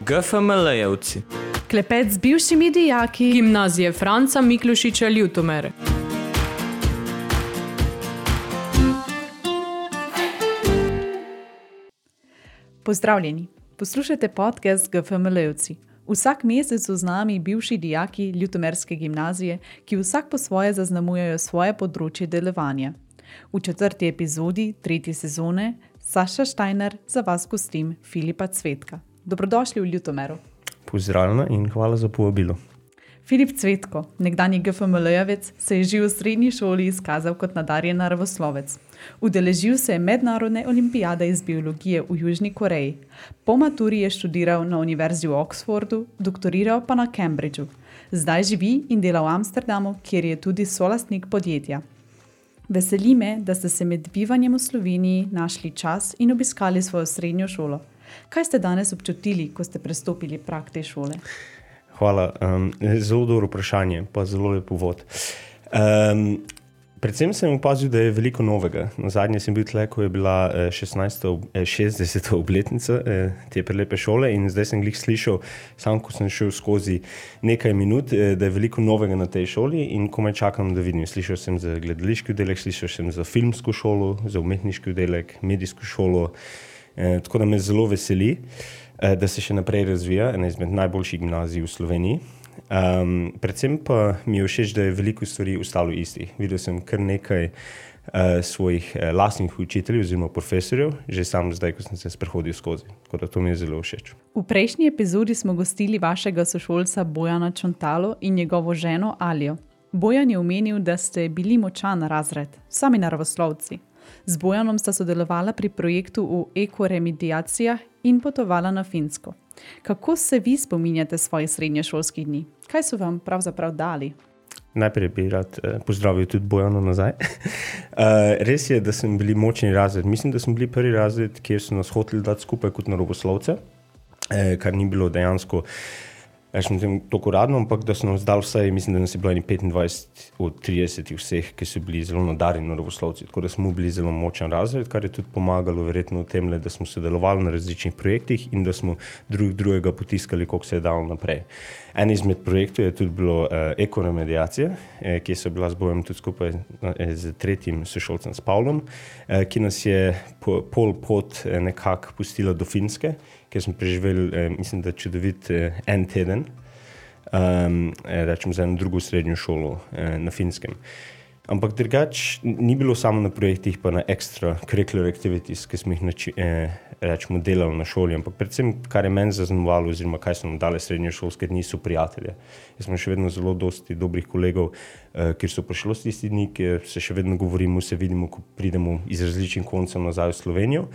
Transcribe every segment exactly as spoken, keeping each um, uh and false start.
G F M L-jevci. Klepet z bivšimi dijaki Gimnazije Franca Miklošiča Ljutomer. Pozdravljeni, poslušajte podcast G F M L-jevci. Vsak mesec so z nami bivši dijaki Ljutomerske gimnazije, ki vsak po svoje zaznamujejo svoje področje delovanja. V četrti epizodi tretje sezone Saša Štajner za vas gostim Filipa Cvetka. Dobrodošli v Ljutomeru. Pozdravljena in hvala za povabilo. Filip Cvetko, nekdanji G F M L-jevec, se je že v srednji šoli izkazal kot nadarjen naravoslovec. Udeležil se je mednarodne olimpijade iz biologije v Južni Koreji. Po maturi je študiral na Univerzi v Oxfordu, doktoriral pa na Cambridgeu. Zdaj živi in dela v Amsterdamu, kjer je tudi solastnik podjetja. Veseli me, da ste se med bivanjem v Sloveniji našli čas in obiskali svojo srednjo šolo. Kaj ste danes občutili, ko ste prestopili prag te šole? Hvala. Um, zelo dobro vprašanje, pa zelo lep uvod. Um, predvsem sem opazil, da je veliko novega. Nazadnje sem bil tle, ko je bila šestnajsta, šestdeseta obletnica te prelepe šole in zdaj sem glih slišal, sam ko sem šel skozi nekaj minut, da je veliko novega na tej šoli in komaj čakam, da vidim. Slišal sem za gledališki oddelek, slišal sem za filmsko šolo, za umetniški oddelek, medijsko šolo, eh, tako da me zelo veseli, da se še naprej razvija, ena izmed najboljših gimnazij v Sloveniji. Um, predvsem pa mi je všeč, da je veliko stvari ostalo istih. Videl sem kar nekaj uh, svojih uh, lastnih učiteljev oziroma profesorjev, že sam zdaj, ko sem se sprehodil skozi. Tako da to mi je zelo všeč. V prejšnji epizodi smo gostili vašega sošolca Bojana Čontalo in njegovo ženo Alijo. Bojan je omenil, da ste bili močan razred, sami naravoslovci. Z Bojanom sta sodelovala pri projektu v ekoremediacijah in potovala na Finsko. Kako se vi spominjate svojih srednješolskih dni? Kaj so vam pravzaprav dali? Najprej bi rad eh, pozdravil tudi Bojano nazaj. uh, res je, da sem bili močni razred. Mislim, da smo bili prvi razred, kjer so nas hoteli dati skupaj kot naravoslovce, eh, kar ni bilo dejansko rečem tem toliko radno, ampak da so nam zdali vsaj, mislim, da nas je bilo petindvajset od tridesetih vseh, ki so bili zelo nadarjeni naravoslovci. Tako da smo bili zelo močan razred, kar je tudi pomagalo verjetno v tem, da smo sodelovali na različnih projektih in da smo drug drugega potiskali, koliko se je dalo naprej. En izmed projektov je tudi bilo uh, ekoremediacija, eh, ki so bila z Bojem tudi skupaj eh, z tretjim sošolcem s Pavlom, eh, ki nas je po, pol pot eh, nekako pustila do Finske, kjer smo preživeli, eh, mislim, da čudovit eh, en teden, um, eh, rečem za eno drugo srednjo šolo eh, na Finskem. Ampak drugač ni bilo samo na projektih, pa na extra curricular activities, ki smo jih nači, eh, rečemo delali na šoli, ampak predvsem, kar je meni zaznamovalo oziroma kaj so nam dale srednješolske dni, so prijatelje. Jaz smo še vedno zelo dosti dobrih kolegov, eh, kjer so prišlo s tisti dni, kjer se še vedno govorimo, se vidimo, ko pridemo iz različnih koncev nazaj v Slovenijo.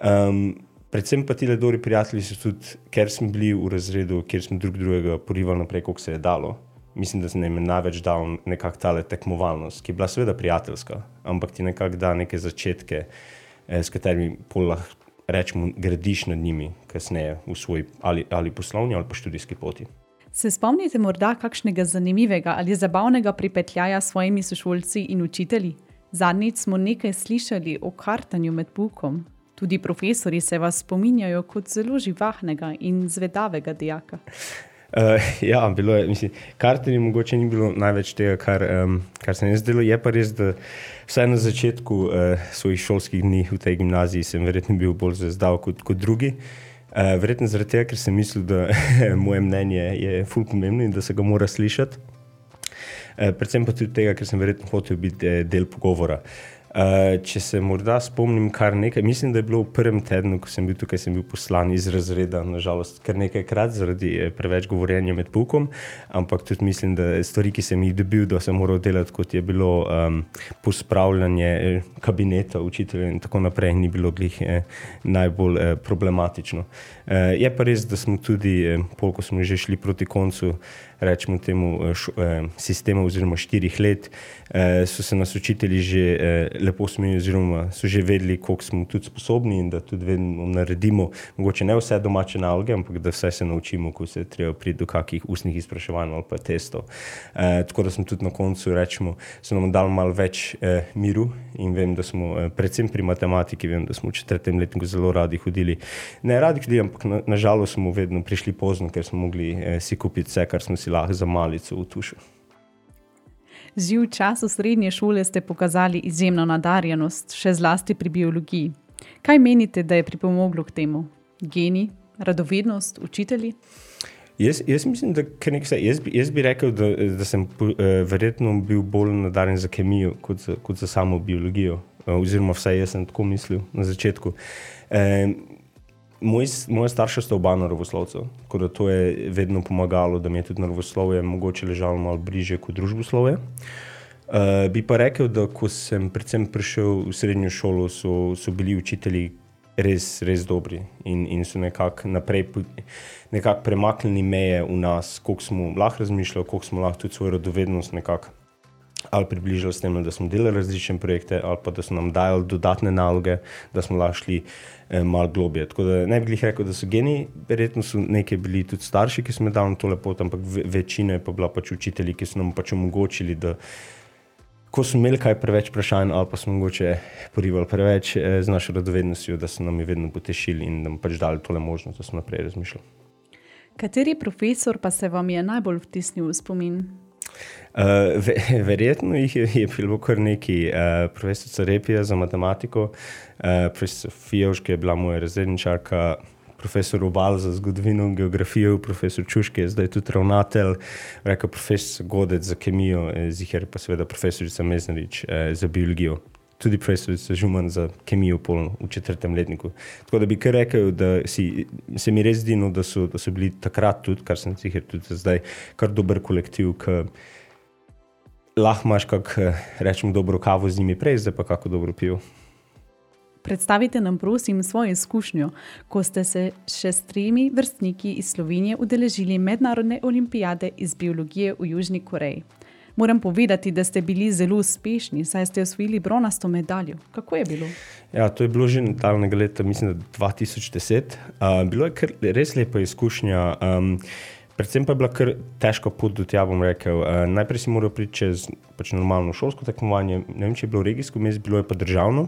Um, predvsem pa tile dobri prijatelji so tudi, ker smo bili v razredu, kjer smo drug drugega porivali naprej, koliko se je dalo. Mislim, da se nam je največ dal nekako tale tekmovalnost, ki je bila seveda prijateljska, ampak ti nekako da neke začetke, eh, s katerimi pol lahko rečemo gradiš nad njimi kasneje v svoj ali, ali poslovni ali pa študijski poti. Se spomnite morda kakšnega zanimivega ali zabavnega pripetljaja s svojimi sošolci in učitelji? Zadnjič smo nekaj slišali o kartanju med poukom. Tudi profesori se vas spominjajo kot zelo živahnega in zvedavega dijaka. Uh, ja, bilo je, mislim, kartenje mogoče ni bilo največ tega, kar, um, kar se mi zdelo. Je pa res, da vsaj na začetku uh, svojih šolskih dni v tej gimnaziji sem verjetno bil bolj zvezdav kot, kot drugi. Uh, verjetno zaradi tega, ker sem mislil, da moje mnenje je ful pomembno in da se ga mora slišati. Uh, predvsem pa tudi tega, ker sem verjetno hotel biti uh, del pogovora. Uh, če se morda spomnim kar nekaj, mislim, da je bilo v prvem tednu, ko sem bil tukaj, sem bil poslan iz razreda, nažalost, kar nekajkrat zaradi preveč govorjenja med poukom, ampak tudi mislim, da stvari, ki sem jih dobil, da sem moral delati, kot je bilo um, pospravljanje kabineta učitelja in tako naprej, ni bilo glih eh, najbolj eh, problematično. Eh, je pa res, da smo tudi, eh, pol, ko smo že šli proti koncu, rečemo temu š, eh, sistemu oziroma štirih let, eh, so se nas učitelji že eh, lepo smo, oziroma so že vedeli, koliko smo tudi sposobni in da tudi vedno naredimo, mogoče ne vse domače naloge, ampak da vse se naučimo, ko se treba priti do kakih ustnih izpraševanj ali pa testov. E, tako da smo tudi na koncu, rečemo, so nam dali malo več e, miru in vem, da smo, e, predvsem pri matematiki, vem, da smo v četrtem letniku zelo radi hodili. Ne radi hodili, ampak na, na žalost smo vedno prišli pozno, ker smo mogli e, si kupiti vse, kar smo si lahko za malico v tušu. Že v času srednje šole ste pokazali izjemno nadarjenost, še zlasti pri biologiji. Kaj menite, da je pripomoglo k temu? Geni, radovednost, učitelji? Jaz, jaz mislim, da nekaj, jaz, bi, jaz bi rekel, da, da sem uh, verjetno bil bolj nadarjen za kemijo kot za, kot za samo biologijo. Uh, oziroma vsaj jaz sem tako mislil na začetku. Um, Moj, moja starša sta oba naravoslovcev, tako da to je vedno pomagalo, da mi je tudi naravoslovje mogoče ležalo malo bliže kot družboslovje. Uh, bi pa rekel, da ko sem predvsem prišel v srednjo šolo, so, so bili učitelji res, res dobri in, in so nekako naprej nekako premaknili meje v nas, koliko smo lahko razmišljali, koliko smo lahko tudi svojo radovednost nekako ali približali s tem, da smo delali različne projekte, ali pa da so nam dajali dodatne naloge, da smo lahko šli eh, malo globje. Tako da ne bi glih rekel, da so geni, verjetno so nekaj bili tudi starši, ki so me dali na to lepot, ampak ve- večina je pa bila pač učitelji, ki so nam pač omogočili, da ko smo imeli kaj preveč vprašanj, ali pa smo mogoče porivali preveč eh, z našo radovednostjo, da so nam je vedno potešili in nam pač dali tole možnost, da smo naprej razmišljali. Kateri profesor pa se vam je najbolj vtisnil v spomin? Uh, ve, verjetno jih je, je bilo kar nekaj. Uh, profesorica Repija za matematiko, uh, profesor Fijevška je bila moja razredničarka, profesor Obal za zgodovino in geografijo, profesor Čuške je zdaj tudi ravnatelj, rekel profesor Godec za kemijo, ziher pa seveda profesorica Meznarič uh, za biologijo. Tudi profesorica Žuman za kemijo pol v četrtem letniku. Tako da bi kar rekel, da si, se mi res zdi, no, da, so, da so bili takrat tudi, kar sem ziher tudi zdaj, kar dober kolektiv, ki lahko imaš kak, rečem, dobro kavo z njimi prej, zdaj pa kako dobro pivo. Predstavite nam prosim svojo izkušnjo, ko ste se še s tremi vrstniki iz Slovenije udeležili mednarodne olimpijade iz biologije v Južni Koreji. Moram povedati, da ste bili zelo uspešni, saj ste osvojili bronasto medaljo. Kako je bilo? Ja, to je bilo že daljnega leta, mislim, da dva tisoč deset. Uh, bilo je kar res lepa izkušnja. Um, predvsem pa je bila kar težka pot do tja, bom rekel. Uh, najprej si moral priti čez pač normalno šolsko tekmovanje. Ne vem, če je bilo regijsko mest, bilo je pa državno.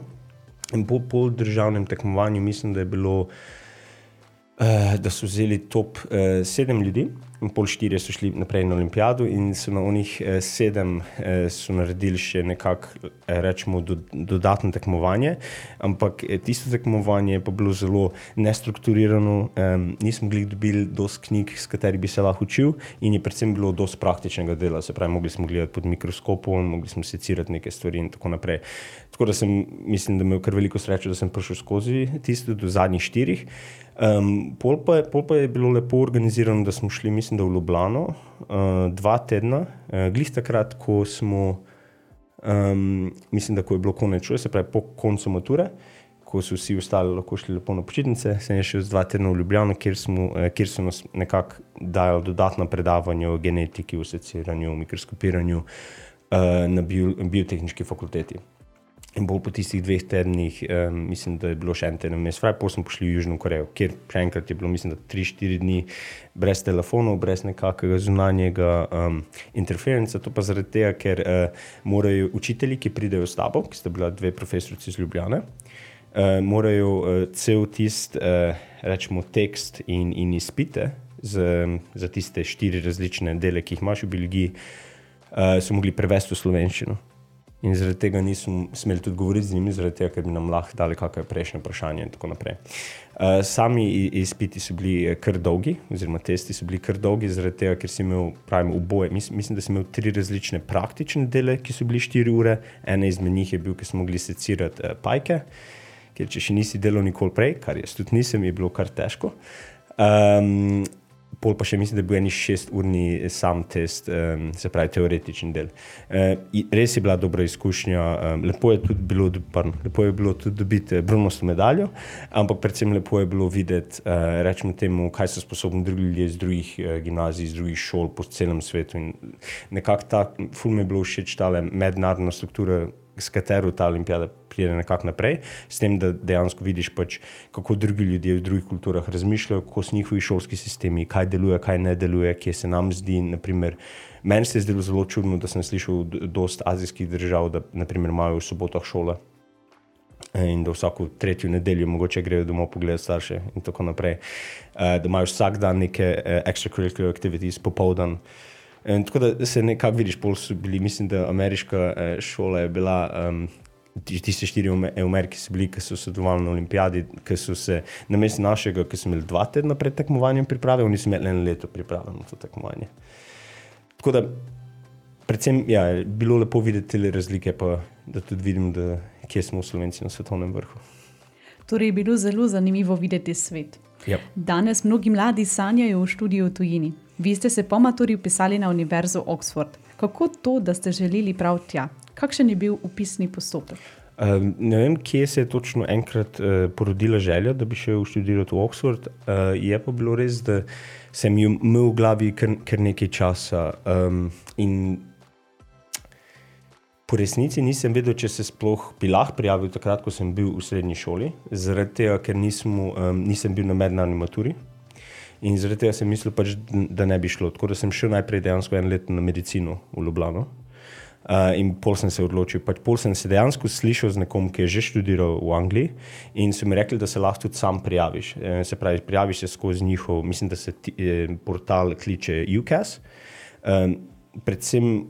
In po, po državnem tekmovanju mislim, da je bilo, uh, da so vzeli top uh, sedem ljudi. In pol štirje so šli naprej na olimpijado in so na onih eh, sedem eh, so naredili še nekako, eh, rečemo, do, dodatno tekmovanje, ampak eh, tisto tekmovanje je pa bilo zelo nestrukturirano, eh, nismo glih dobili dosti knjig, s katerih bi se lahko učil in je predvsem bilo dosti praktičnega dela, se pravi, mogli smo gledati pod mikroskopom, mogli smo secirati neke stvari in tako naprej. Tako da sem, mislim, da imel kar veliko srečo, da sem prišel skozi tisto do zadnjih štirih. Um, pol, pa, pol pa je bilo lepo organizirano, da smo šli, mislim, da v Ljubljano, uh, dva tedna, uh, glih takrat, ko smo, um, mislim, da ko je bilo konec šole, se pravi po koncu mature, ko so vsi ostali lahko šli lepo na počitnice, sem šel z dva tedna v Ljubljano, kjer, smo, uh, kjer so nas nekako dajali dodatna predavanja o genetiki, o seciranju, o mikroskopiranju uh, na bio, biotehniški fakulteti. In bolj po tistih dveh tednih, um, mislim, da je bilo še en teden mes fraj, potem smo pošli v Južno Korejo, kjer še enkrat je bilo, mislim, da tri štiri dni brez telefonov, brez nekakega zunanjega um, interferenca. To pa zaradi tega, ker uh, morajo učitelji, ki pridejo s tabo, ki sta bila dve profesorici iz Ljubljane, uh, morajo uh, cel tist, uh, rečemo, tekst in, in izpite z, za tiste štiri različne dele, ki jih imaš v biologiji, uh, so mogli prevesti v slovenščino. In zaradi tega nismo smeli tudi govoriti z njimi, zaradi tega, ker bi nam lahko dali kakšno prejšnje vprašanje in tako naprej. Uh, sami izpiti so bili kar dolgi, oziroma testi so bili kar dolgi, zaradi tega, ker si imel, pravim, oboje. Mis, mislim, da si imel tri različne praktične dele, ki so bili štiri ure. Ena izmed njih je bil, ki smo mogli secirati uh, pajke, ker če še nisi delal nikoli prej, kar jaz tudi nisem, je bilo kar težko. Um, Pol pa še mislim, da je bil eni šesturni sam test, um, se pravi teoretični del. Uh, res je bila dobra izkušnja, um, lepo je tudi bilo, pardon, lepo je bilo tudi dobiti bronasto medaljo, ampak predvsem lepo je bilo videti, uh, rečemo temu, kaj so sposobni drugi ljudje iz drugih uh, gimnazij, iz drugih šol po celem svetu. In nekako ta, ful mi je bilo všeč tale mednarodna struktura, s katero ta olimpijada pride nekako naprej, s tem, da dejansko vidiš pač, kako drugi ljudje v drugih kulturah razmišljajo, kako so njihovi šolski sistemi, kaj deluje, kaj ne deluje, kje se nam zdi, naprimer, meni se je zdelo zelo čudno, da sem slišal dost azijskih držav, da naprimer imajo v sobotah šole in da vsako tretjo nedeljo mogoče grejo domov pogledati starše in tako naprej, da imajo vsak dan neke extracurricular activities, popoldan. In tako da se nekako vidiš, pol so bili, mislim, da ameriška šola je bila, um, tiste štiri v Ameriki so bili, ki so sodelovali na olimpijadi, ki so se namesto našega, ki so imeli dva tedna pred tekmovanjem priprave, oni so imeli eno leto priprave na to tekmovanje. Tako da, predvsem, ja, bilo lepo videti te razlike, pa da tudi vidim, da kje smo v Slovenci na svetovnem vrhu. Torej je bilo zelo zanimivo videti svet. Yep. Danes mnogi mladi sanjajo o študiju v tujini. Vi ste se po maturi vpisali na Univerzo Oxford. Kako to, da ste želeli prav tja? Kakšen je bil upisni postopek? Uh, ne vem, kje se je točno enkrat uh, porodila želja, da bi šel študirati v Oxford. Uh, je pa bilo res, da sem imel v glavi kar, kar nekaj časa um, in po resnici nisem vedel, če se sploh bi lahko prijavil takrat, ko sem bil v srednji šoli, zaradi tega, ker nismo, um, nisem bil na mednarodni maturi in zaradi tega sem mislil pač, da ne bi šlo. Tako da sem šel najprej dejansko en let na medicino v Ljubljano uh, in pol sem se odločil. Pač pol sem se dejansko slišal z nekom, ki je že študiral v Angliji in so mi rekli, da se lahko tudi sam prijaviš. E, se pravi, prijaviš se skozi njihov, mislim, da se ti, eh, portal kliče U C A S. Um, predvsem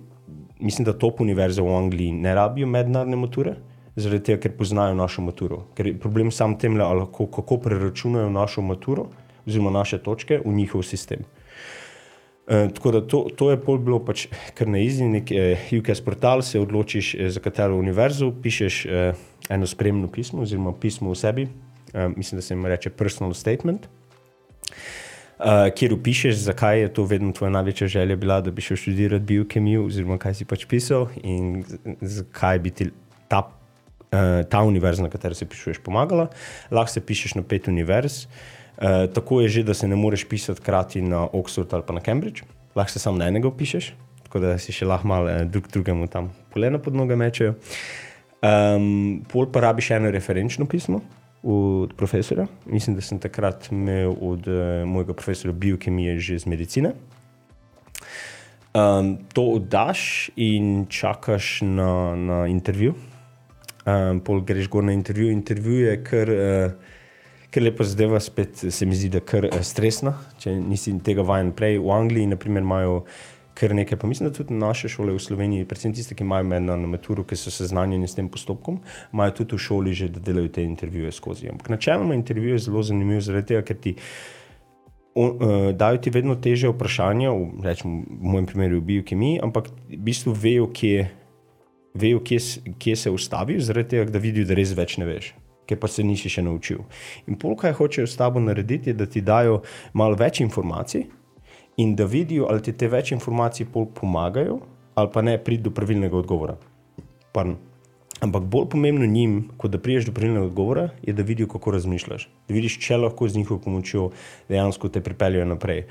mislim, da top univerze v Angliji ne rabijo mednarodne mature, zaradi tega, ker poznajo našo maturo. Ker je problem sam temle, kako, kako preračunajo našo maturo, oziroma naše točke v njihov sistem. E, tako da to, to je pol bilo pač kar na easy, nek e, U C A S portal, se odločiš, e, za katero univerzo, pišeš e, eno spremno pismo, oziroma pismo v sebi, e, mislim, da se jim reče personal statement, Uh, kjer upišeš, zakaj je to vedno tvoja največja želja bila, da bi šel študirati biokemijo, oziroma kaj si pač pisal in zakaj bi ti ta, uh, ta univerza, na katero se pišuješ, pomagala. Lahko se pišeš na pet univerz. Uh, tako je že, da se ne moreš pisati krati na Oxford ali pa na Cambridge. Lahko se samo na enega upišeš, tako da si še lahko malo uh, drug drugemu tam polena pod noge mečejo. Um, pol pa rabiš eno referenčno pismo od profesora. Mislim, da sem takrat imel od uh, mojega profesora biokemije že z medicine. Um, to oddaš in čakaš na, na intervju. Um, pol greš gor na intervju. Intervju je kar, uh, kar lepa zadeva, spet se mi zdi, da kar uh, stresna, če nisi tega vajen prej. V Angliji, na primer, imajo kar nekaj, pa mislim, da tudi naše šole v Sloveniji, predvsem tiste, ki imajo mednarodno maturo, ki so seznanjeni s tem postopkom, imajo tudi v šoli že, da delajo te intervjuje skozi. Ampak načeloma intervju je zelo zanimiv, zaradi tega, ker ti on, uh, dajo ti vedno težje vprašanja, v, rečemo, v mojem primeru v biokemiji, ampak v bistvu vejo, kje, vejo, kje, kje se ustavijo, zaradi tega, da vidijo, da res več ne veš, ker pa se nisi še naučil. In pol, kaj hočejo s tabo narediti, je, da ti dajo malo več informacij, in da vidijo, ali ti te več informacij pol pomagajo, ali pa ne priti do pravilnega odgovora. Pardon. Ampak bolj pomembno njim, kot da priješ do pravilnega odgovora, je, da vidijo, kako razmišljaš. Da vidiš, če lahko z njihovo pomočjo dejansko te pripeljajo naprej.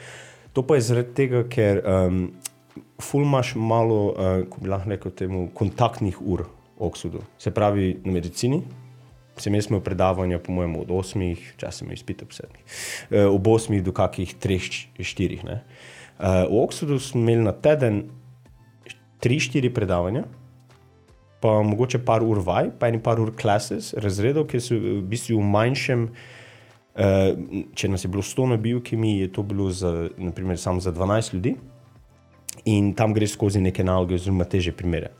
To pa je zaradi tega, ker um, ful imaš malo, uh, ko bi lahko rekel temu, kontaktnih ur v Oxfordu. Se pravi, na medicini sem jaz imel predavanja, po mojem, od osmih, včasih sem izpita po sedmih, uh, ob osmih do kakih treh, štirih. Ne? Uh, v Oxfordu smo imeli na teden tri, štiri predavanja, pa mogoče par ur vaj, pa eni par ur classes, razredov, ki so v bistvu v manjšem, uh, če nas je bilo sto na biokemiji, je to bilo za, naprimer, samo za dvanajst ljudi in tam greš skozi neke naloge oziroma teže primere.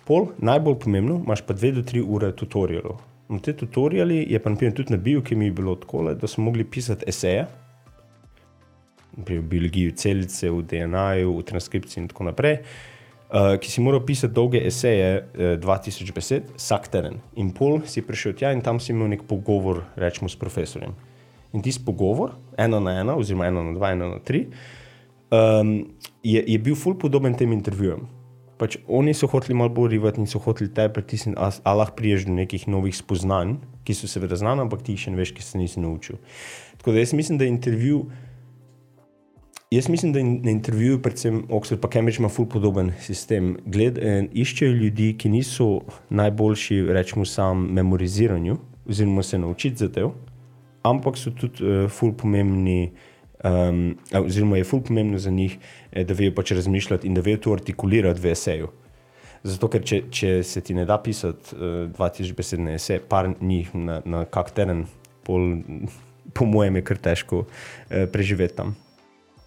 Pol, najbolj pomembno, imaš pa dve do tri ure tutorialov. In te tutoriali je pa naprimer tudi na biokemiji bilo takole, da smo mogli pisati eseje, v biologiji celice, v D N A-ju, v transkripciji in tako naprej, uh, ki si moral pisati dolge eseje, uh, dva tisoč besed, vsak teden. In pol si prišel tja in tam si imel nek pogovor, rečemo, s profesorjem. In tisti pogovor, ena na ena, oziroma ena na dva, ena na tri, um, je, je bil ful podoben tem intervjujem. Pač oni so hoteli malo bolj rivati in so hoteli te pritisniti, a, a lahko priješ do nekih novih spoznanj, ki so seveda znane, ampak ti še ne veš, ki se nisi naučil. Tako da jaz mislim, da intervju Jaz mislim, da na intervjuju, predvsem Oxford pa Cambridge ima ful podoben sistem. Gled, eh, iščejo ljudi, ki niso najboljši, rečemo sam, memoriziranju, oziroma se naučiti za te, ampak so tudi eh, ful pomembni, um, oziroma je ful pomembno za njih, eh, da vejo pač razmišljati in da vejo to artikulirati v eseju. Zato, ker če, če se ti ne da pisati uh, dva tisoč besedne esej, par njih na, na kak teden, pol, po mojem je kar težko uh, preživeti tam.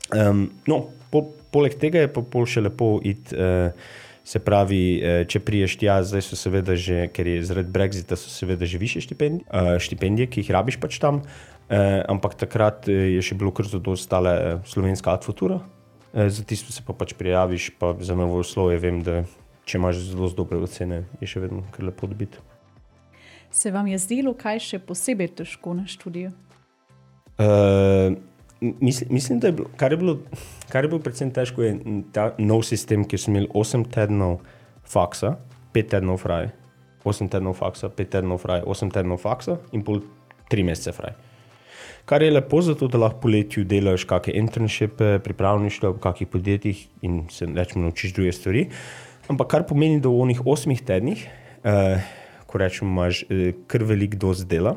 Um, no, po, poleg tega je pa pol še lepo iti, uh, se pravi, uh, če priješ tja, zdaj so seveda že, ker je zaradi Brexita, so seveda že više štipendije, uh, štipendije, ki jih rabiš pač tam, uh, ampak takrat je še bilo kar zadostale uh, slovenska Ad Futura, uh, za tisto se pa pač prijaviš, pa za naravoslovje vem, da če imaš zelo dobre ocene, je še vedno kar lepo dobiti. Se vam je zdelo kaj še posebej težko na študiju? Uh, Mislim, mislim, da je bilo, kar je bilo, kar je bilo predvsem težko, je ta nov sistem, ki so imeli osem tednov faksa, pet tednov fraj, osem tednov faksa, pet tednov fraj, osem tednov faksa in pol tri mesece fraj. Kar je lepo zato, da lahko poletju delaš kakšne internshipe, pripravništva v kakih podjetjih in se rečemo naučiš druge stvari. Ampak kar pomeni, da v onih osmih tednih, eh, ko rečemo, imaš eh, kar velik dost dela,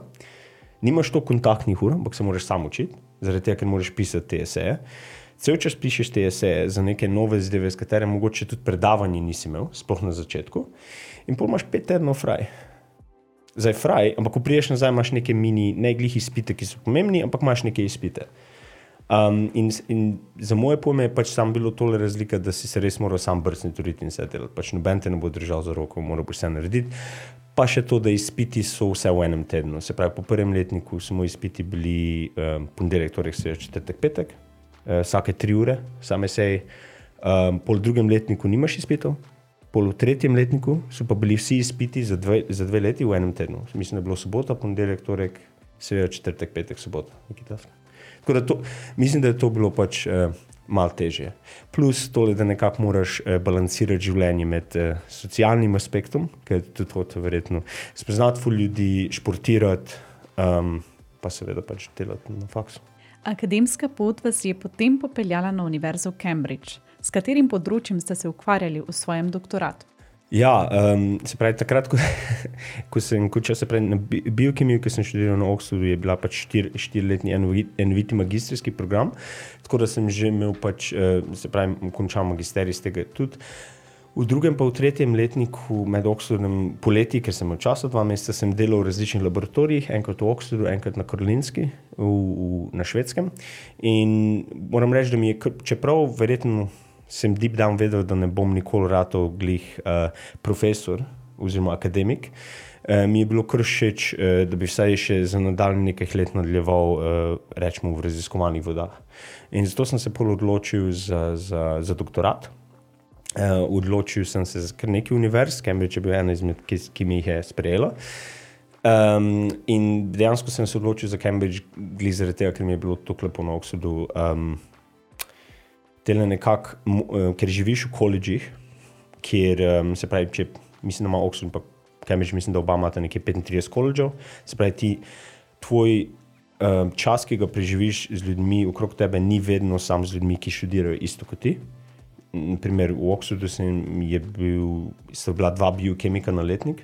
nimaš to kontaktnih ur, ampak se moraš sam učiti. Zaradi tega, ker moraš pisati te eseje. Cel čas pišeš te eseje za neke nove zadeve, s katere mogoče tudi predavanje nisi imel, sploh na začetku. In pol imaš pet tednov fraj. Zdaj fraj, ampak ko priješ nazaj, imaš neke mini, ne glih izpite, ki so pomembni, ampak imaš neke izpite. Um, in, in za moje pojme je pač sam bilo tole razlika, da si se res moral sam brcniti in se delati. Pač noben te ne bo držal za roko, moral boš vse narediti. Pa še to, da izpiti so vse v enem tednu. Se pravi, po prvem letniku so moji izpiti bili um, ponedeljek, torek, sreda, četrtek, petek, uh, vsake tri ure, same sej. Um, pol drugem letniku nimaš izpitov, pol v tretjem letniku so pa bili vsi izpiti za dve, za dve leti v enem tednu. Mislim, da je bilo sobota, ponedeljek, torek, sreda, četrtek, petek, sobota. Tako da to, mislim, da je to bilo pač uh, malo težje. Plus tole, da nekako moraš eh, balansirati življenje med eh, socialnim aspektom, ker je tudi to verjetno spoznati ful ljudi, športirati, um, pa seveda pač delati na faksu. Akademska pot vas je potem popeljala na Univerzo v Cambridge. S katerim področjem ste se ukvarjali v svojem doktoratu? Ja, um, se pravi, takrat, ko, ko sem končal, se pravi, na biokemiju, ki sem študiral na Oxfordu, je bila pač štir, štiriletni enoviti magistrski program, tako da sem že imel pač, se pravi, končal magisterij iz tega tudi. V drugem pa v tretjem letniku med Oxfordom poleti, ker sem imel časa, dva meseca, sem delal v različnih laboratorijih, enkrat v Oxfordu, enkrat na Karolinski, v, v, na Švedskem. In moram reči, da mi je, čeprav verjetno sem deep down vedel, da ne bom nikoli ratal glih uh, profesor oziroma akademik. Uh, mi je bilo kar všeč, uh, da bi vsaj še za nadaljnje nekaj let nadaljeval, uh, rečemo, v raziskovalnih vodah. In zato sem se pol odločil za, za, za doktorat. Uh, odločil sem se za kar nekaj univerz, Cambridge je bil ena izmed, ki, ki mi jih je sprejela. Um, in dejansko sem se odločil za Cambridge glih zaradi tega, ker mi je bilo tako lepo na Oxfordu. Um, Tele nekako, ker živiš v koledžih, kjer um, se pravi, če mislim, da ima Oxford pa Cambridge, mislim, da oba imata nekje petintrideset koledžev, se pravi, ti, tvoj um, čas, ki ga preživiš z ljudmi okrog tebe, ni vedno sam z ljudmi, ki študirajo isto kot ti. Naprimer, v Oxfordu sem je bil, so bila dva biokemika na letnik,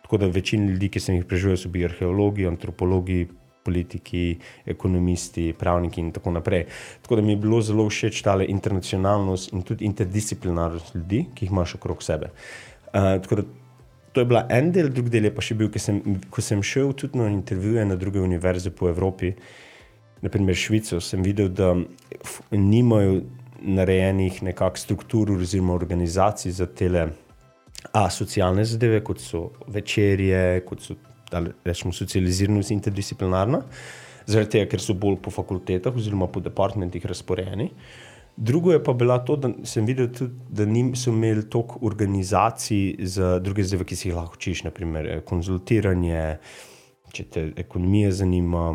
tako da večina ljudi, ki sem jih preživel, so bili arheologi, antropologi, politiki, ekonomisti, pravniki in tako naprej. Tako da mi je bilo zelo všeč tale internacionalnost in tudi interdisciplinarnost ljudi, ki jih imaš okrog sebe. Uh, tako da to je bila en del, drug del je pa še bil, ko sem, ko sem šel tudi na intervjuje na druge univerze po Evropi, naprimer Švico, sem videl, da nimajo narejenih nekak struktur oziroma organizacij za tele a, socialne zadeve, kot so večerje, kot so ali rečemo socializiranost interdisciplinarna, zaradi tega, ker so bolj po fakultetah oziroma po departmentih razporejeni. Drugo je pa bila to, da sem videl tudi, da niso imeli toliko organizacij za druge zadeve, ki si jih lahko učiš, naprimer konzultiranje, če te ekonomija zanima,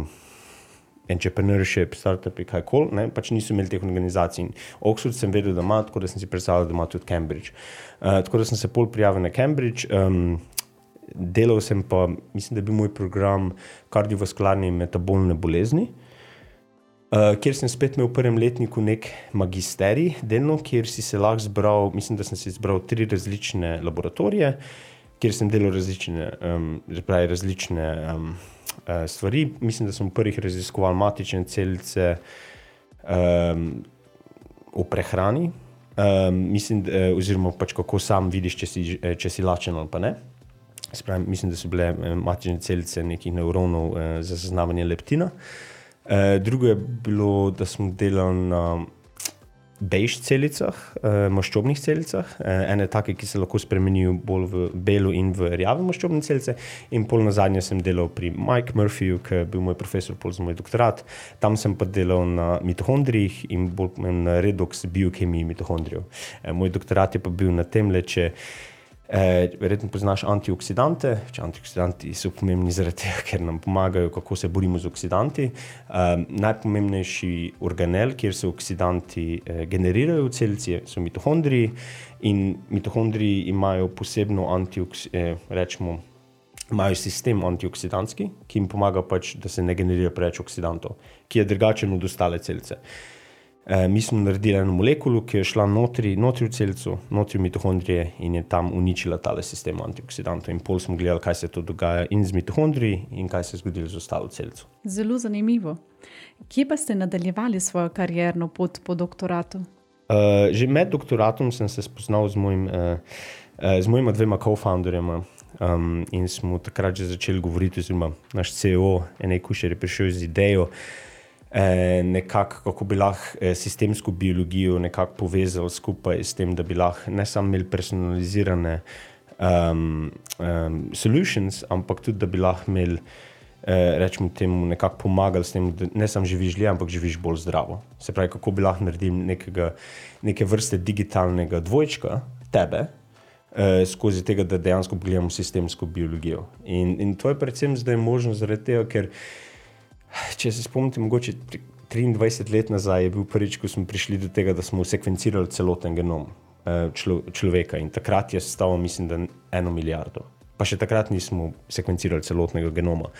entrepreneurship, startupi, kajkoli, ne, pač niso imeli teh organizacij. Oxford sem vedel, da ima, tako da sem si predstavljal, da ima tudi Cambridge. Uh, tako da sem se pol prijavil na Cambridge, um, delal sem pa, mislim, da je bil moj program kardiovaskularne in metabolne bolezni. Uh, kjer sem spet imel v prvem letniku nek magisterij, delno, kjer si se lahko zbral, mislim, da sem si zbral tri različne laboratorije, kjer sem delal različne, um, pravi, različne um, uh, stvari. Mislim, da sem v prvih raziskoval matične celice um, v prehrani, um, mislim, da, oziroma pač kako sam vidiš, če si, če si lačen ali pa ne. Spravim, mislim, da so bile matične celice nekih nevronov uh, za zaznavanje leptina. Uh, drugo je bilo, da smo delali na bejž celicah, uh, maščobnih celicah, uh, ene take, ki se lahko spremenijo bolj v belo in v rjave maščobne celice, in pol nazadnje sem delal pri Mike Murphyju, ki je bil moj profesor pol za moj doktorat. Tam sem pa delal na mitohondrijih in bolj na redoks biokemiji mitohondrijev. Uh, moj doktorat je pa bil na tem le, če Eh, verjetno poznaš antioksidante. Antioksidanti so pomembni zaradi tega, ker nam pomagajo, kako se borimo z oksidanti. Eh, najpomembnejši organel, kjer se oksidanti eh, generirajo v celici, so mitohondriji, in mitohondriji imajo posebno antioks, eh, rečemo, imajo sistem antioksidantski, ki jim pomaga pač, da se ne generira preveč oksidantov, ki je drugačen od ostale celice. E, mi smo naredili eno molekulo, ki je šla notri, notri v celico, notri v mitohondrije in je tam uničila tale sistem antioksidantov. In pol smo gledali, kaj se to dogaja in z mitohondriji in kaj se je zgodilo z ostalo celico. Zelo zanimivo. Kje pa ste nadaljevali svojo karierno pot po doktoratu? Uh, že med doktoratom sem se spoznal z, mojim, uh, uh, z mojima dvema co-founderjema um, in smo takrat že začeli govoriti, oziroma naš C E O, Enej Kušer, je prišel z idejo, nekako, kako bi lahko sistemsko biologijo nekako povezali skupaj s tem, da bi lahko ne samo imeli personalizirane um, um, solutions, ampak tudi, da bi lahko imeli, eh, rečemo temu, nekako pomagali s tem, da ne samo živiš dlje, ampak živiš bolj zdravo. Se pravi, kako bi lahko naredili nekega, neke vrste digitalnega dvojčka tebe, eh, skozi tega, da dejansko pogledamo sistemsko biologijo. In, in to je predvsem zdaj možno zaradi tega, ker če se spomnite, mogoče triindvajset let nazaj je bil prvič, ko smo prišli do tega, da smo sekvencirali celoten genom člo, človeka, in takrat je stalo, mislim, da eno milijardo. Pa še takrat nismo sekvencirali celotnega genoma.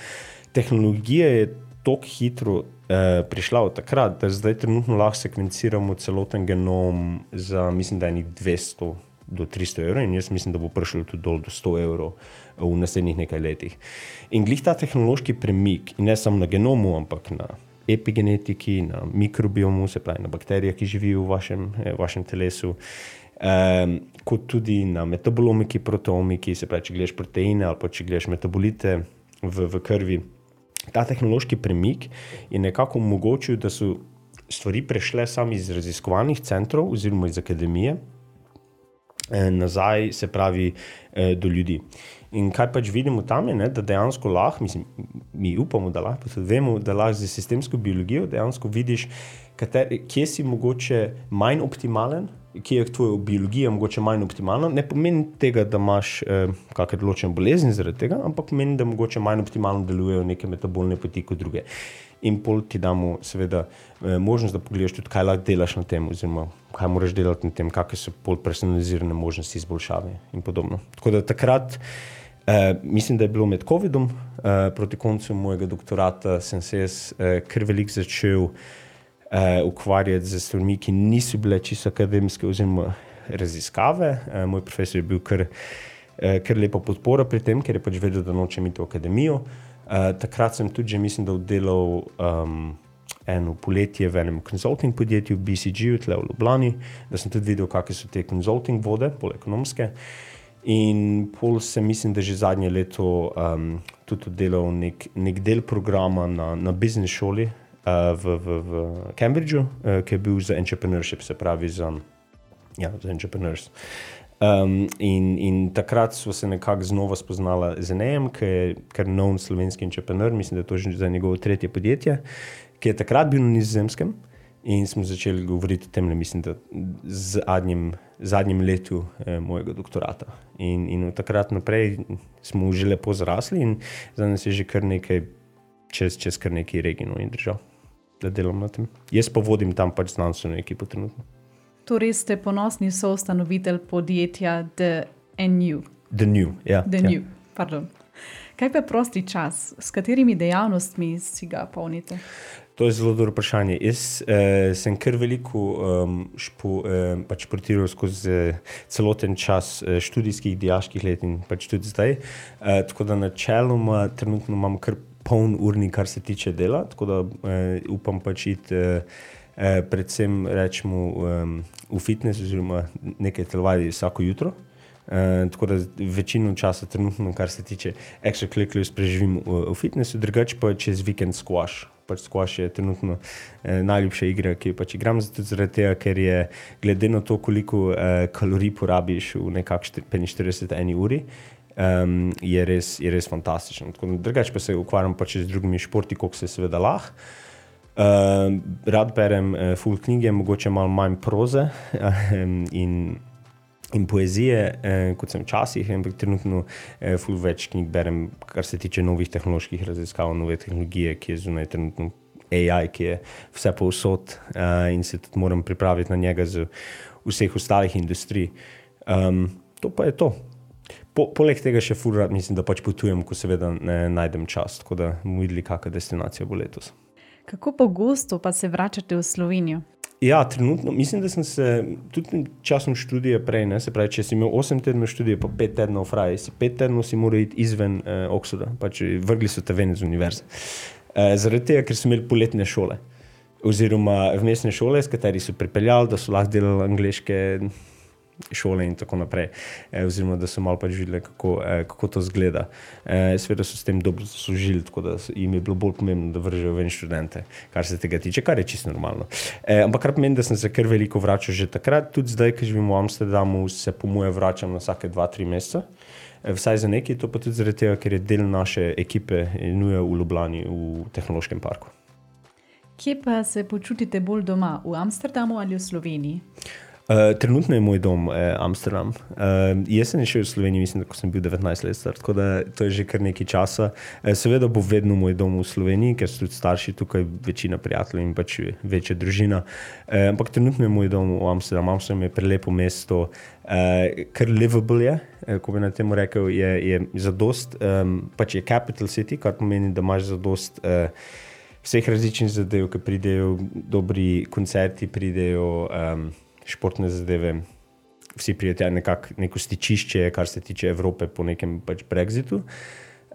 Tehnologija je tako hitro eh, prišla od takrat, da zdaj trenutno lahko sekvenciramo celoten genom za, mislim, da enih dvesto do tristo evrov, in jaz mislim, da bo prišlo tudi dol do sto evrov v naslednjih nekaj letih. In glih ta tehnološki premik, in ne samo na genomu, ampak na epigenetiki, na mikrobiomu, se pravi na bakterijah, ki živijo v vašem, eh, vašem telesu, eh, kot tudi na metabolomiki, proteomiki, se pravi, če gledaš proteine ali pa če gledaš metabolite v, v krvi. Ta tehnološki premik je nekako omogočil, da so stvari prešle sami iz raziskovalnih centrov oziroma iz akademije nazaj, se pravi, do ljudi. In kaj pač vidimo tam je, ne, da dejansko lahko, mislim, mi upamo, da lahko, tudi vemo, da lahko z sistemsko biologijo dejansko vidiš, kateri, kje si mogoče manj optimalen, kje je tvoja biologija mogoče manj optimalna. Ne pomeni tega, da imaš eh, kakšne določene bolezni zaradi tega, ampak pomeni, da mogoče manj optimalno delujejo neke metabolne poti kot druge. In pol ti damo seveda eh, možnost, da pogledaš tudi, kaj lahko delaš na tem, oziroma kaj moraš delati na tem, kakve so pol personalizirane možnosti izboljšave in podobno. Tako da takrat, eh, mislim, da je bilo med covidom, eh, proti koncu mojega doktorata sem se jaz eh, kar veliko začel eh, ukvarjati z stvarmi, ki niso bile čisto akademske oziroma raziskave. Eh, moj profesor je bil kar, eh, kar lepa podpora pri tem, ker je pač vedel, da nočem iti v akademijo. Uh, takrat sem tudi že, mislim, da oddelal um, eno poletje v enem consulting podjetju, B C G-u, tle v Ljubljani, da sem tudi videl, kakve so te consulting vode, bolj ekonomske. In pol sem, mislim, da že zadnje leto um, tudi oddelal nek, nek del programa na, na business šoli uh, v, v, v Cambridgeu, uh, ki je bil za entrepreneurship, se pravi za, ja, za entrepreneurs. Um, in, in takrat so se nekako znova spoznala z Enejem, ki je kar nov slovenski entrepreneur, mislim, da je to že za njegovo tretje podjetje, ki je takrat bil na Nizozemskem, in smo začeli govoriti o tem, mislim, da z zadnjim, zadnjim letu eh, mojega doktorata. In, in od takrat naprej smo že lepo zrasli in za nas je že kar nekaj, čez, čez kar nekaj regionov in držav, da delam na tem. Jaz pa vodim tam pač znanstveno ekipo trenutno. Torej ste ponosni soustanovitelj podjetja The New. The New, ja. The ja. New, pardon. Kaj pa prosti čas? S katerimi dejavnostmi si ga polnite? To je zelo dobro vprašanje. Jaz eh, sem kar veliko um, špo, eh, pač športiral skozi eh, celoten čas eh, študijskih, dijaških let in pač tudi zdaj. Eh, tako da načeloma trenutno imam kar poln urni, kar se tiče dela, tako da eh, upam pač iti eh, eh, predvsem rečemo um, v fitness oziroma nekaj telovadi vsako jutro. Uh, tako da večino časa trenutno, kar se tiče extracurriculars, preživim v, v fitnessu, drugače pa čez vikend squash. Pač squash je trenutno eh, najljubša igra, ki jo pač igram, zato zaradi tega, ker je glede na to, koliko eh, kalorij porabiš v nekak petinštirideset eni uri, um, je, res, je res fantastično. Tako da drugače pa se ukvarjam pač z drugimi športi, koliko se seveda lahko. Uh, rad berem uh, full knjige, mogoče malo manj proze um, in in poezije, eh, kot sem včasih, ampak trenutno eh, ful več knjig berem, kar se tiče novih tehnoloških raziskav, nove tehnologije, ki je zunaj trenutno A I, ki je vse povsod eh, in se tudi moram pripraviti na njega z vseh ostalih industrij. Um, to pa je to. Po, poleg tega še ful rad mislim, da pač potujem, ko seveda ne najdem čas, tako da bomo videli, kakšna destinacija bo letos. Kako pogosto pa se vračate v Slovenijo? Ja, trenutno, mislim, da sem se tudi časom študija prej, ne, se pravi, če si imel osem tednov študije, pa pet tednov fraj, si pet tednov si moral iti izven eh, Oxforda, pač vrgli so te ven iz univerze. Eh, zaradi tega, ker so imeli poletne šole, oziroma vmesne šole, s kateri so pripeljali, da so lahko delali angleške šole in tako naprej, eh, oziroma da so malo pač videli, kako, eh, kako to zgleda. Eh, Seveda so s tem dobro zaslužili, tako da jim je bilo bolj pomembno, da vržejo ven študente, kar se tega tiče, kar je čisto normalno. Eh, ampak kar pomeni, da sem se kar veliko vračal že takrat, tudi zdaj, ko živim v Amsterdamu, se po moje vračam na vsake dva, tri meseca, eh, vsaj za nekaj, to pa tudi zaradi tega, ker je del naše ekipe nuje v Ljubljani, v tehnološkem parku. Kje pa se počutite bolj doma, v Amsterdamu ali v Sloveniji? Uh, trenutno je moj dom eh, Amsterdam. Uh, jaz sem šel v Slovenijo, mislim, da ko sem bil devetnajst let star, tako da to je že kar nekaj časa. Uh, seveda bo vedno moj dom v Sloveniji, ker so tudi starši tukaj, večina prijateljev in pač večja družina. Uh, ampak trenutno je moj dom v Amsterdam. Amsterdam je prelepo mesto, uh, kar livable je, uh, ko bi na temu rekel, je, je zadost, um, pač je capital city, kar pomeni, da imaš zadost uh, vseh različnih zadev, ki pridejo, dobri koncerti pridejo, um, športne zadeve, vsi prijatelji nekako neko stičišče, kar se tiče Evrope po nekem pač Brexitu.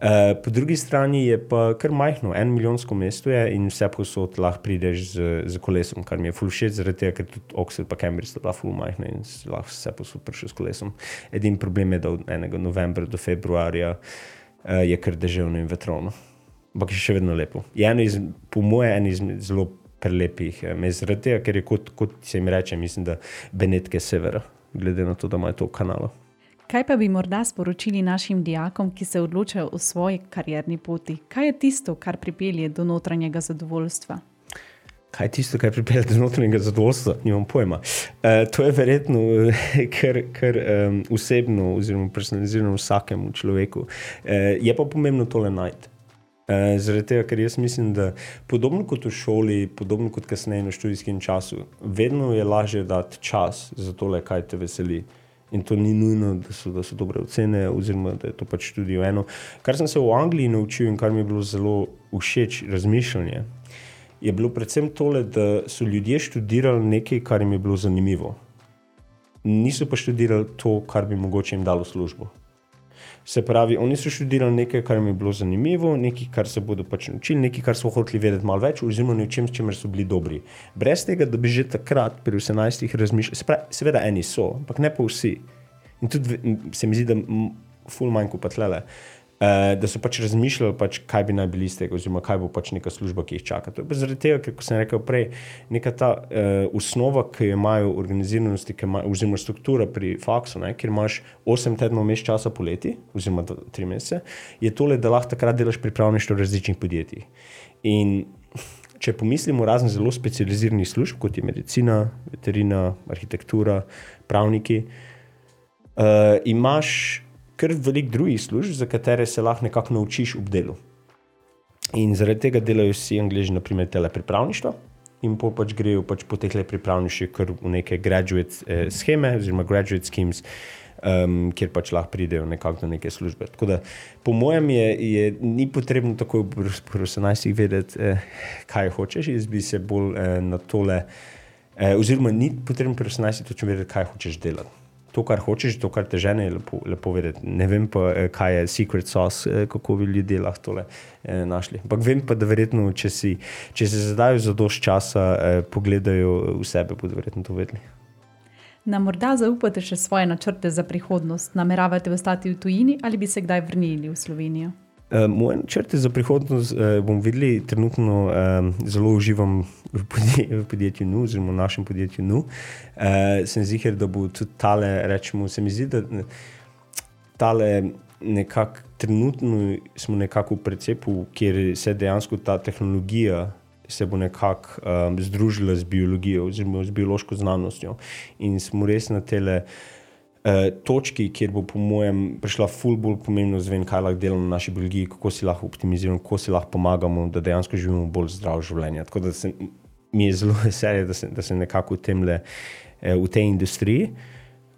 Uh, po drugi strani je pa kar majhno, en milijonsko mesto je in vse posod lahko prideš z, z kolesom, kar mi je ful všeč, zaradi tega, ker tudi Oxford pa Cambridge sta bila ful majhna in lahko vse posod prišel s kolesom. Edin problem je, da od enega novembra do februarja uh, je kar deževno in vetrovno. Ampak je še vedno lepo. Je eno iz, po moje eno izmed zelo prelepih mest, zaradi tega, ker je kot, kot se jim reče, mislim, da Benetke severa, glede na to, da imajo to kanalo. Kaj pa bi morda sporočili našim dijakom, ki se odločajo o svoji karierni poti? Kaj je tisto, kar pripelje do notranjega zadovoljstva? Kaj je tisto, kar pripelje do notranjega zadovoljstva? Nimam pojma. Uh, to je verjetno kar, kar um, osebno oziroma personalizirano vsakemu človeku. Uh, je pa pomembno tole najti. Uh, zaradi tega, ker jaz mislim, da podobno kot v šoli, podobno kot kasneje na študijskem času, vedno je lažje dati čas za tole, kaj te veseli. In to ni nujno, da so, da so dobre ocene oziroma da je to pač tudi eno. Kar sem se v Angliji naučil in kar mi je bilo zelo všeč razmišljanje, je bilo predvsem tole, da so ljudje študirali nekaj, kar jim je bilo zanimivo. Niso pa študirali to, kar bi mogoče jim dalo službo. Se pravi, oni so študirali nekaj, kar jim je bilo zanimivo, nekaj, kar se bodo pač naučili, nekaj, kar so hoteli vedeti malo več, oziroma nečem, s čimer so bili dobri. Brez tega, da bi že takrat pri osemnajstih razmišljali, se pravi, seveda eni so, ampak ne pa vsi. In tudi se mi zdi, da ful manj kot pa tlele, uh, da so pač razmišljali, pač, kaj bi naj bili iz tega, oziroma kaj bo pač neka služba, ki jih čaka. To je pa zaradi tega, ker, kot sem rekel prej, neka ta uh, osnova, ki jo imajo organiziranosti, ki imajo, oziroma struktura pri faksu, ne, kjer imaš osem tednov mest časa poleti, oziroma tri mesece, je tole, da lahko takrat delaš pripravništvo v različnih podjetjih. In če pomislimo razen zelo specializiranih služb, kot je medicina, veterina, arhitektura, pravniki, uh, imaš kar veliko drugih služb, za katere se lahko nekako naučiš ob delu. In zaradi tega delajo vsi Angleži, na primer, telepripravništva in po pač grejo pač po teh pripravniščih kar v neke graduate eh, scheme, oziroma graduate schemes, um, kjer pač lahko pridejo nekako do neke službe. Tako da, po mojem je, je ni potrebno tako v osemnajstih vedeti, eh, kaj hočeš, jaz bi se bolj eh, na tole, eh, oziroma ni potrebno pri osemnajstih točno vedeti, kaj hočeš delati. To, kar hočeš, to, kar te žene, je lepo, lepo vedeti. Ne vem pa, kaj je secret sauce, kako bi ljudje lahko tole eh, našli. Ampak vem pa, da verjetno, če, si, če se zadajo za dosti časa, eh, pogledajo v sebe, bodo verjetno to vedeli. Nam morda zaupate še svoje načrte za prihodnost? Nameravate ostati v tujini ali bi se kdaj vrnili v Slovenijo? Uh, moje načrte za prihodnost uh, bom videli, trenutno um, zelo uživam v, podje, v podjetju N U, oziroma v našem podjetju N U. Uh, sem ziher, da bo tudi tale, rečemo, se mi zdi, da tale nekako, trenutno smo nekako v precepu, kjer se dejansko ta tehnologija se bo nekako um, združila z biologijo, oziroma z biološko znanostjo. In smo res na tele Uh, točki, kjer bo po mojem prišla ful bolj pomembno zvem, kaj lahko delamo na naši biologiji, kako si lahko optimiziramo, kako si lahko pomagamo, da dejansko živimo bolj zdravo življenje. Tako da se, mi je zelo veselje, da sem, da sem nekako v temle, uh, v tej industriji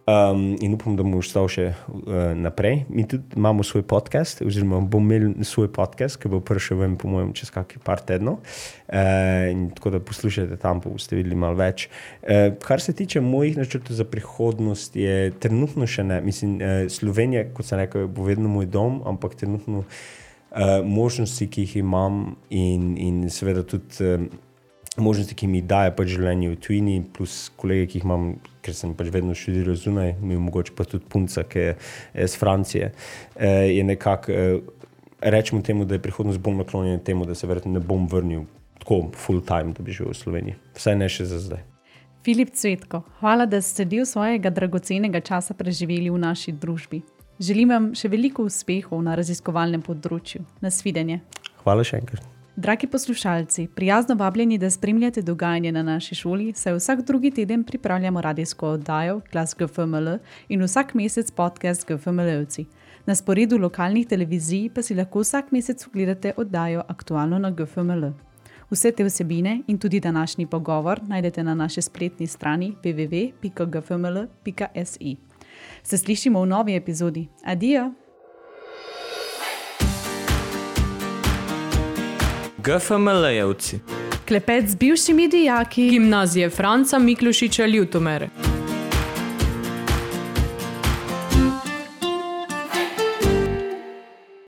um, in upam, da bomo ostal še uh, naprej. Mi tudi imamo svoj podcast, oziroma bom imel svoj podcast, ki bo prišel ven po mojem čez kakih par tednov. Uh, in tako da poslušajte tam, pa boste videli malo več. Uh, kar se tiče mojih načrtov za prihodnost, je trenutno še ne. Mislim, uh, Slovenija, kot sem rekel, bo vedno moj dom, ampak trenutno uh, možnosti, ki jih imam in, in seveda tudi uh, možnosti, ki mi daje pač življenje v tujini, plus kolege, ki jih imam, ker sem pač vedno študiral zunaj, mi mogoče pa tudi punca, ki je iz Francije, uh, je nekako, uh, rečemo temu, da je prihodnost bolj naklonjena temu, da se verjetno ne bom vrnil tako full time, da bi živel v Sloveniji. Vsaj ne še za zdaj. Filip Cvetko, hvala, da ste del svojega dragocenega časa preživeli v naši družbi. Želim vam še veliko uspehov na raziskovalnem področju. Nasvidenje. Hvala še enkrat. Dragi poslušalci, prijazno vabljeni, da spremljate dogajanje na naši šoli, saj vsak drugi teden pripravljamo radijsko oddajo Glas G F M L in vsak mesec podcast G F M L-evci. Na sporedu lokalnih televizij pa si lahko vsak mesec ogledate oddajo Aktualno na G F M L. Vse te vsebine in tudi današnji pogovor najdete na naši spletni strani w w w pika g f m l pika s i. Se slišimo v novi epizodi. Adijo! G F M L-evci. Klepet z bivšimi dijaki Gimnazije Franca Miklošiča Ljutomere.